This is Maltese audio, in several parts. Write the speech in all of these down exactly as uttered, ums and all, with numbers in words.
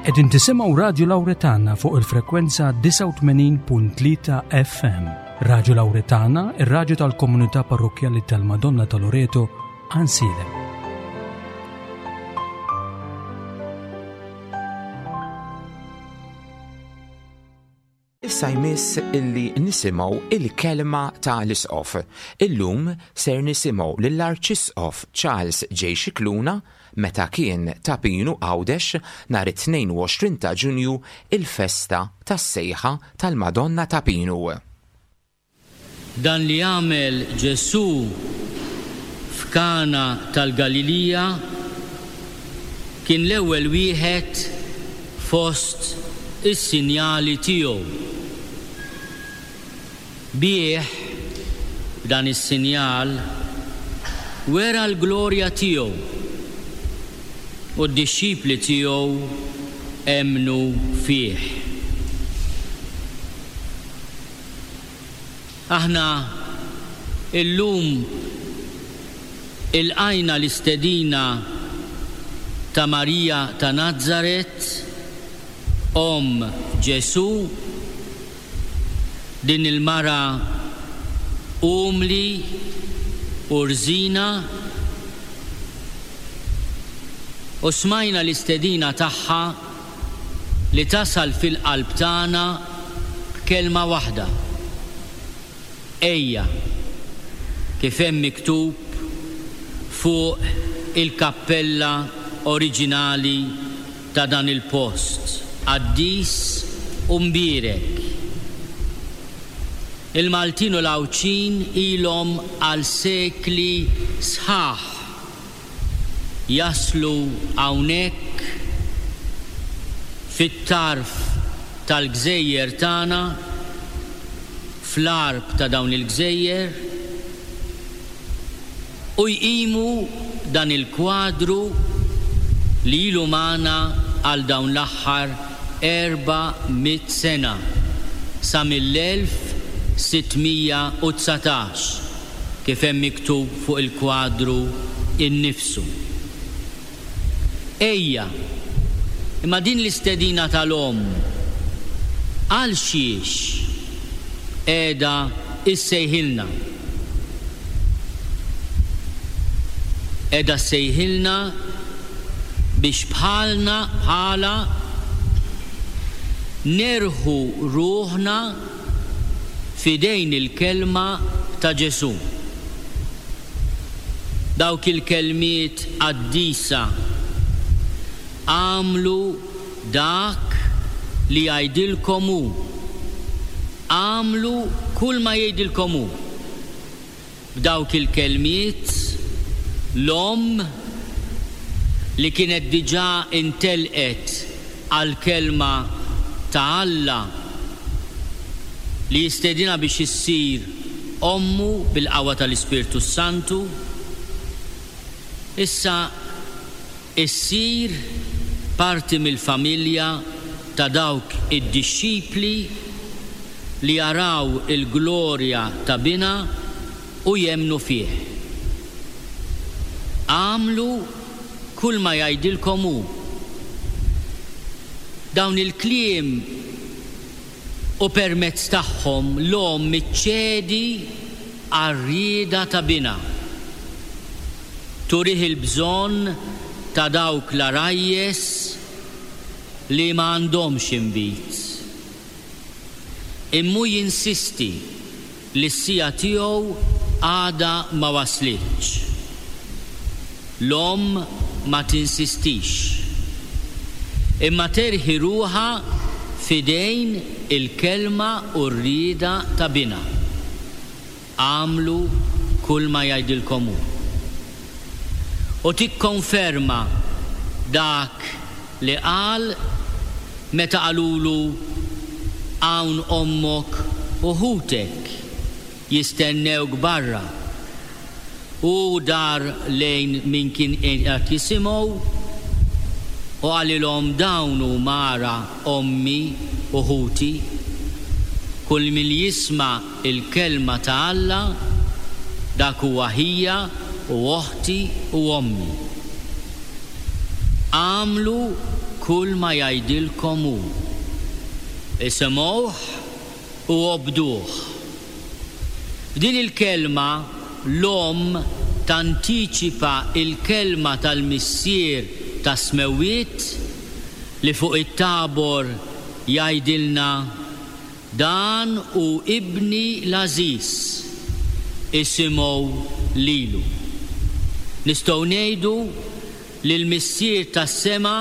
Qegħdin tisimgħu Radju Lawretana fuq il-frekwenza disgħa u tmenin punt tlieta F M. Radju Lawretana, ir-radju tal-komunità parrokkjali tal-Madonna ta' Loreto, Għajnsielem. Issa jmiss illi nisimgħu il-kelma ta' l-Isqof. Illum ser nisimgħu lill-Arċisqof Charles J. Scicluna meta kien ta' Pinu Għawdex nhar it-tnejn u għoxrin ta' Ġunju, il-festa tas-sejħa tal-Madonna ta' Pinu. Dan li għamel Ġesù f'Kana tal-Galilija kien l-ewwel wieħed fost is-sinjali tiegħu. Bih, b'dan is-sinjal, wera l-glorja tiegħu u d-dixxipli tiegħu emmnu fih. Aħna illum ilqajna l-istedina ta' Marija ta' Nazaret, omm Ġesù, din il-mara umli u rżina, u smajna l-istedina tagħha li tasal fil-qalb tagħna b'kelma waħda: ejja, kif hemm miktub fuq il-kappella oriġinali ta' dan il-post qaddis u mbierek. Il-Maltin u l-Għawdxin ilhom għal sekli sħaħ jaslu hawnhekk fit-tarf tal-gżejjer tagħna, fl-għarb ta' dawn il-gżejjer, u jqimu dan il-kwadru li ilu magħna għal dawn l-aħħar erba' mitt sena, sa mill-elf sittmija u dsatax, kif hemm miktub fuq il-kwadru innifsu. Ejja, imma din l-istedina tal-omm għal xiex qiegħda issejħilna? Qiegħda ssejħilna biex bħalna, bħala nerħu ruħna f'idejn il-kelma ta' Ġesù. Dawk il-kelmiet qaddisa għamlu dak li jgħidilkom hu, għamlu kull ma jgħidilkom hu. B'dawk il-kelmiet l-omm li kienet diġà intelqet għall-kelma ta' Alla li jistedina biex issir ommu bil-qawwa tal-Ispirtu Santu, issa issir parti mill-familja ta' dawk id-dixxipli li jaraw il-glorja ta' binha u jemmnu fih. Għamlu kull ma jgħidilkom hu. Dawn il-kliem u permezz tagħhom l-omm iċċedi għar-rieda ta' binha. Turih il-bżonn ta' dawk l-għarajjes li ma għandhomx inbid. Immu jinsisti li s-sija tiegħu għadha ma waslitx. L-omm ma tinsistix, imma terħi ruħha f'idejn il-kelma u r-rieda ta' binha. Għamlu kull ma jgħidilkom hu. U tikkonferma dak li qal meta qalulu hawn ommok u ħutek jistennewk barra. U dar lejn min kien qiegħed jisimgħu u qalilhom dawn huma ara ommi u ħuti. Kull min jisma' il-kelma ta' Alla dak huwa ħija u oħti u ommi. Għamlu kull ma jgħidilkom hu. Isimgħuh u obduh. F'din il-kelma l-omm tantiċipa il-kelma tal-Missier tas-Smewwiet li fuq it-Tabor jgħidilna: Dan hu ibni l-għażiż, isimgħu lilu. Nistgħu ngħidu li l-Missier tas-sema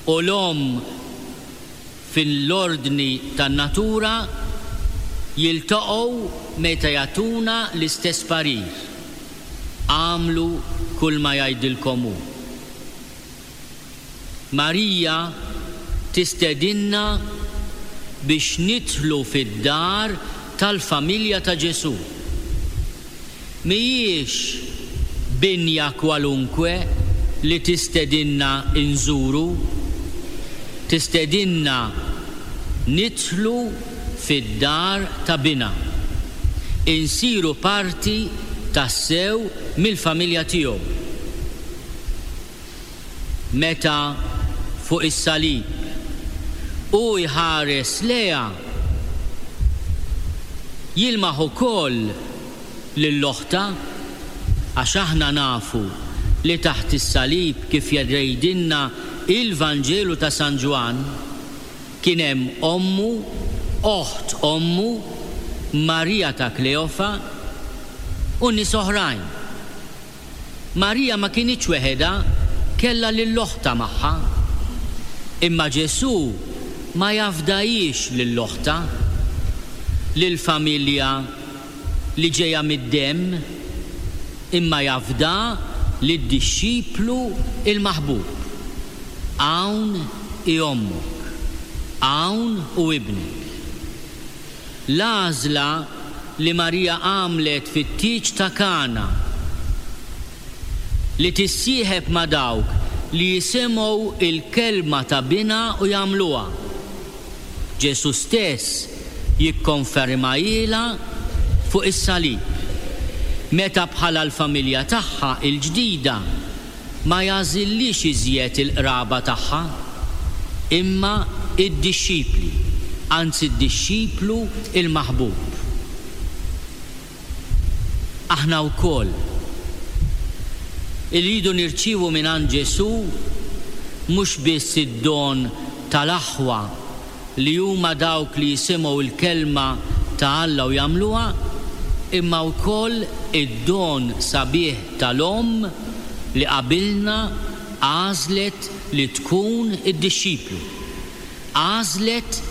u l-omm fil-ordni tan-natura jiltaqgħu meta jagħtuna l-istess parir: agħmlu kull ma jgħidilkom hu. Marija tistedinna biex nidħlu fid-dar tal-familja ta' Ġesù. Mhijiex binja kwalunkwe li tistedinna nżuru, tistedinna nidħlu fid-dar ta' bina, insiru parti tassew mill-familja tiegħu. Meta fuq is-salib u jħares lejha, jilmaħ ukoll lil oħtha, għax aħna nafu li taħt is-salib, kif jgħidilna il-Vanġelu ta' San Ġwann, kien hemm ommu, oħt ommu, Marija ta' Kleofa u nies oħrajn. Marija ma kinitx weħedha, kellha lil oħtha magħha. Imma Ġesù ma jafdajiex lil oħtha, lill-familja li ġejja mid-demm, imma jafda lid-dixxiplu il-maħbub. Hawn hi ommok, hawn hu ibnek. L-għażla li Marija għamlet fit-tieġ ta' Kana, li tissieħeb ma' dawk li jisimgħu il-kelma ta' binha u jagħmluha, Ġesù stess jikkonfermajilha fuq is-salib, meta bħala l-familja tagħha il-ġdida ma jagħżillix iżjed il-qraba tagħha, imma id-dixxipli, anzi d-dixxiplu il-maħbub. Aħna wkoll irridu nirċievu mingħand Ġesù mhux biss id-don tal-aħwa li huma dawk li jisimgħu l-kelma ta' Alla u jagħmluha, imma wkoll id-don sabiħ tal-omm li qabilna għażlet li tkun id-dixxiplu, għażlet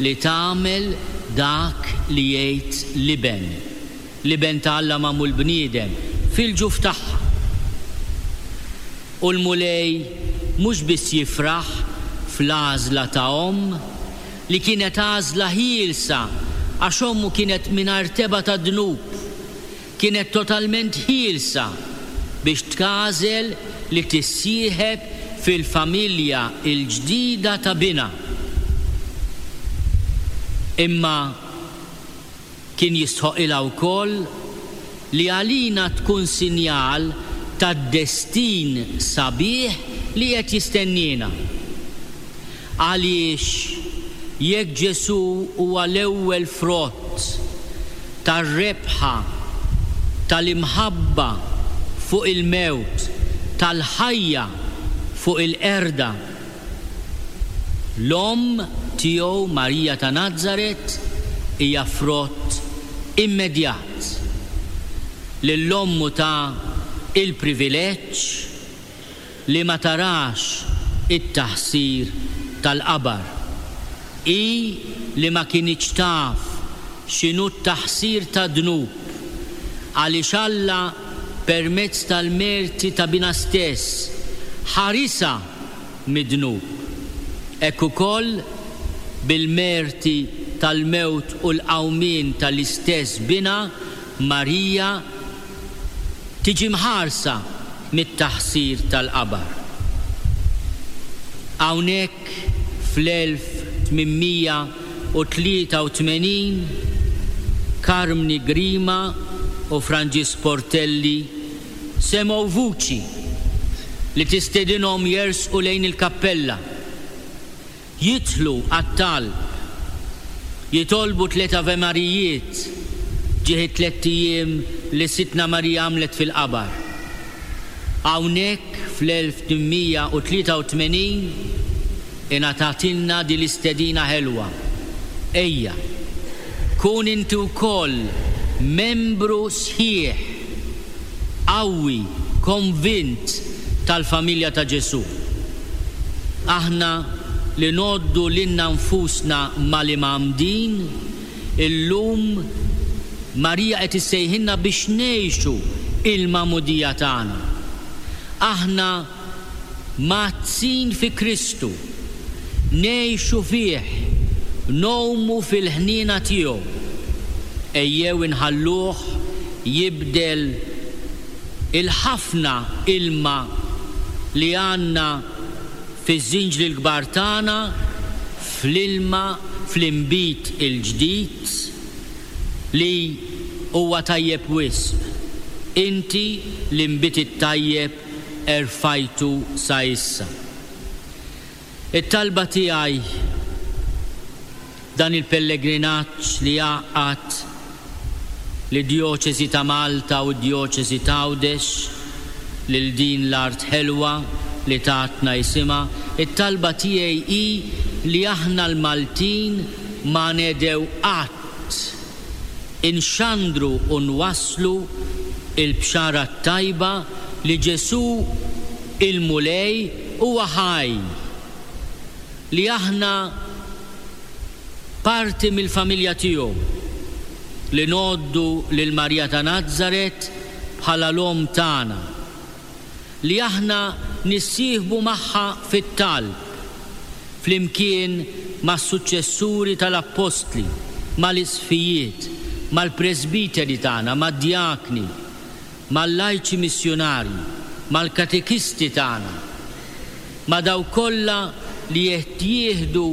li tagħmel dak li jgħid l-iben, l-iben ta' Alla magħmul bniedem fil-ġuf tagħha. U l-Mulej mhux biss jifraħ fl-għażla ta' omm li kienet għażla ħielsa, għax ommu kienet mingħajr tebgħa ta' dnub, kienet totalment ħielsa biex tagħżel li tissieħeb fil-familja il-ġdida ta' binha. Imma kien jistħoqilha wkoll li għalina tkun sinjal tad-destin sabiħ li qed jistenniena. Għaliex jekk Ġesù huwa l-ewwel frott tar-rebħa tal-imħabba fuq il-mewt, tal-ħajja fuq il-qerda, l-omm tiegħu Marija ta' Nazaret hija frott immedjat lill-ommu ta' il-privileġġ li ma tarax it-taħsir tal-qabar. Hi li ma kinitx taf x'inhu t-taħsir ta' dnub, għaliex Alla permezz tal-merti ta' binha stess ħarisha mid-dnub. Hekk ukoll bil-merti tal-mewt u l-qawmien tal-istess binha, Marija tiġi mħarsa mit-taħsir tal-qabar. Hawnhekk fl-elf tmienmija u tlieta u tmenin Karmni Grima u Franġisk Portelli semgħu vuċi li tistedinhom jersqu lejn il-kappella, jidħlu għat-talb, jitolbu tliet Ave Marijiet ġieħ it-tlett ijiem li Sidtna Marija għamlet fil-qabar. Hawnhekk fl-elf tmien mija u tlieta u tmenin ingħatatilna din l-istedina ħelwa. Ejja, kun inti wkoll membru sħiħ, qawwi, konvint tal-familja ta' Ġesù. Aħna li ngħoddu lilna nfusna mal-imgħammdin, illum Marija qed issejħilna biex ngħixu il-magħmudija tagħna. Aħna mgħaddsin fi Kristu, ngħixu fih, ngħumu fil-ħniena tiegħu. Ejjew inħalluh jibdel il-ħafna ilma li għandna fiż-żinġli l-kbar tagħna fl-ilma fl-inbid il-ġdid li huwa tajjeb wisq. Inti l-inbid it-tajjeb erfajtu sa issa. It-talba tiegħi dan il-pellegrinaġġ li jgħaqqad lid-djoċesi ta' Malta u d-djoċesi ta' Għawdex lil din l-art ħelwa li tatna isimha, it-talba tiegħi hi li aħna l-Maltin ma nedew qatt inxandru u nwasslu il-bxara t-tajba li Ġesù il-Mulej huwa ħaj, li aħna parti mill-familja tiegħu, li ngħoddu lil Marija ta' Nazaret bħala l-omm tagħna, li aħna nissieħbu magħha fit-talb flimkien mas-suċċessuri tal-appostli, mal-isqfijiet, mal-presbiteri tagħna, mad-djakni, mal-lajċi missjunarji, mal-katekisti tagħna, ma' dawk kollha li qed jieħdu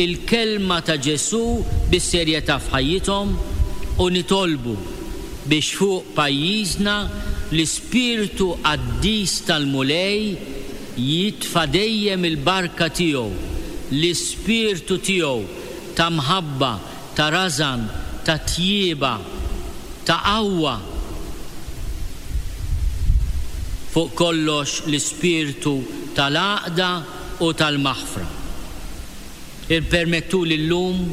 il-kelma ta' Ġesù bis-serjetà f'ħajjithom, u nitolbu biex fuq pajjiżna l-Ispirtu Qaddis tal-Mulej jitfa' dejjem il-barka tiegħu, l-Ispirtu tiegħu ta' mħabba, ta' rażan, ta' tjieba, ta' qawwa. Fuq kollox l-Ispirtu tal-għaqda u tal-maħfra. Ippermettuli llum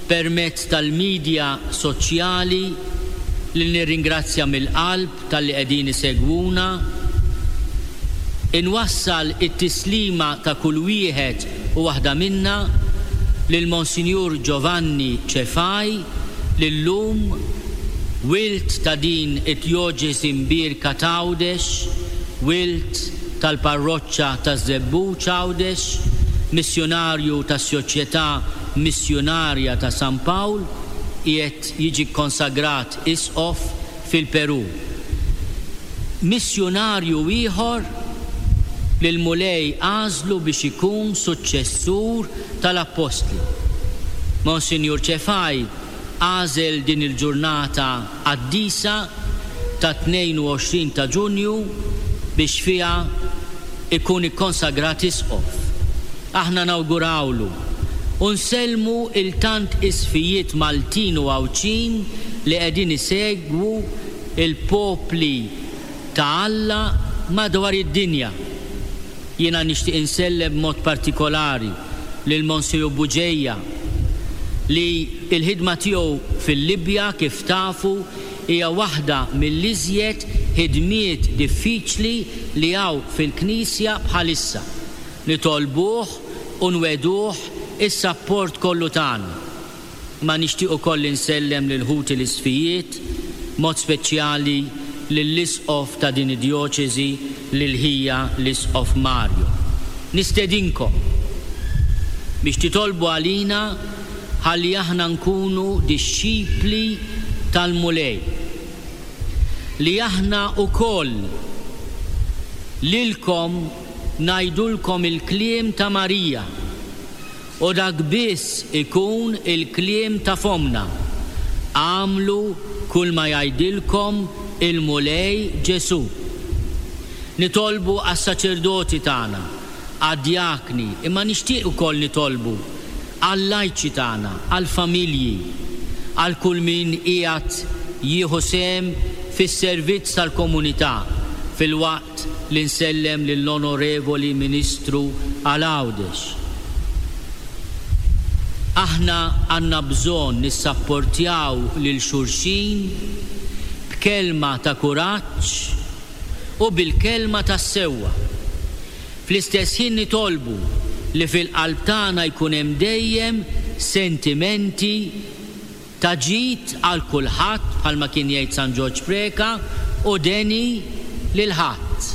permezz tal-medja soċjali li nirringrazzja mill-qalb tal-li qegħdin isegwuna, inwassal it-tislima ta' kull wieħed u waħda minna lil Monsinjur Giovanni Cefai, li llum wild ta' din it-djoċesi mbierka ta' Għawdex, wild tal-parroċċa ta' Żebbuġ Għawdex, missjonarju tas-Soċjetà Missjunarja ta' San Pawl, qiegħed jiġi konsagrat isqof fil-Peru. Missjunarju ieħor li l-Mulej għażlu biex ikun suċċessur tal-Appostli. Monsinjur Cefai għażel din il-ġurnata qaddisa ta' tnejn u għoxrin ta' Ġunju biex fiha ikun ikkonsagrat isqof. Aħna nawgurawlu u nsellmu il-tant isfijiet Maltin u Għawdxin li qegħdin isegwu il-popli ta' Alla madwar id-dinja. Jiena nixtieq insellem b'mod partikolari lil Monsinjur Bugeja li l-ħidma tiegħu fil-Libja kif tafu hija waħda mill-iżjed ħidmiet diffiċli li hawn fil-Knisja bħalissa. Nitolbuh u nweduh is-sapport kollu tagħna. Ma nixtieq ukoll insellem lil ħuti l-isfijiet, mod speċjali lill-isqof ta' din id-djoċesi, lil ħija l-isqof Mario. Nistedinkom biex titolbu għalina ħalli aħna nkunu dixxipli tal-Mulej, li aħna wkoll lilkom ngħidulkom il-kliem ta' Marija, u dak biss ikun il-kliem ta' fomna. Għamlu kull ma jgħidilkom il-Mulej Ġesù. Nitolbu għas-saċerdoti tagħna, għad-djakni, imma nixtieq ukoll nitolbu għal-lajċi tagħna, għall-familji, għal kull min qiegħed jieħu sehem fis-servizz tal-komunità, filwaqt li nsellem lill-Onorevoli Ministru għal Għawdex. Aħna għandna bżonn nissapportjaw lil xulxin b'kelma ta' kuraġġ u bil-kelma tas-sewwa. Fl-istess ħin nitolbu li fil-qalb tagħna jkun hemm dejjem sentimenti ta' ġid għal kulħadd, bħalma kien jgħid San Ġorġ Preca, u deni lil ħadd.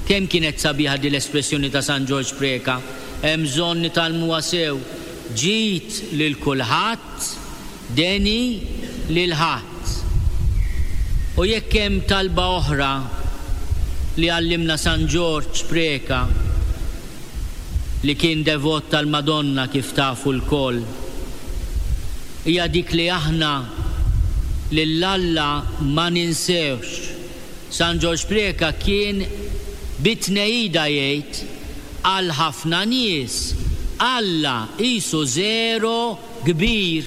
Kemm kienet sabiħa din l-espressjoni ta' San Ġorġ Preca, hemm bżonn nitgħallmuha sew. Ġid lil kulħadd, deni lil ħadd. U jekk hemm talba oħra li għallimna San Ġorġ Preca, li kien devot tal-Madonna kif tafu lkoll, hija dik li aħna lil Alla ma ninsewx. San Ġorġ Preca kien bit-tnejida jgħid għal ħafna nies Alla qisu żero kbir.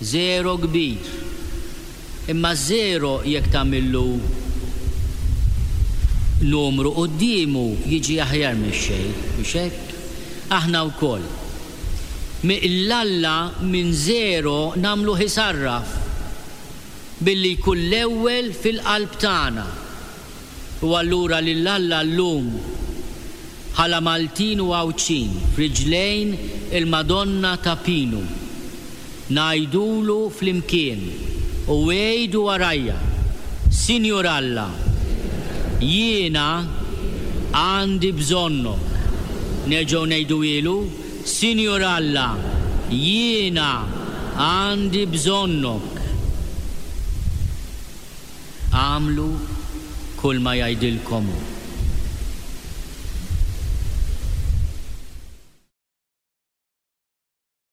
Żero kbir. Imma żero jekk tagħmillu numru quddiemu jiġi aħjar mix-xejn, mhux hekk? Aħna wkoll. L-Alla minn żero nagħmlu ħisarraf billi jkun l-ewwel fil-qalb tagħna. U allura lil Alla llum bħala Maltin u Għawdxin f'riġlejn il-Madonna ta' Pinu ngħidulu flimkien u għidu warajja, Sinjur Alla, jiena għandi bżonnok. Nerġgħu ngħiduhielu, Sinjur Alla, jiena għandi bżonnok. Agħmlu kull ma jgħidilkom hu.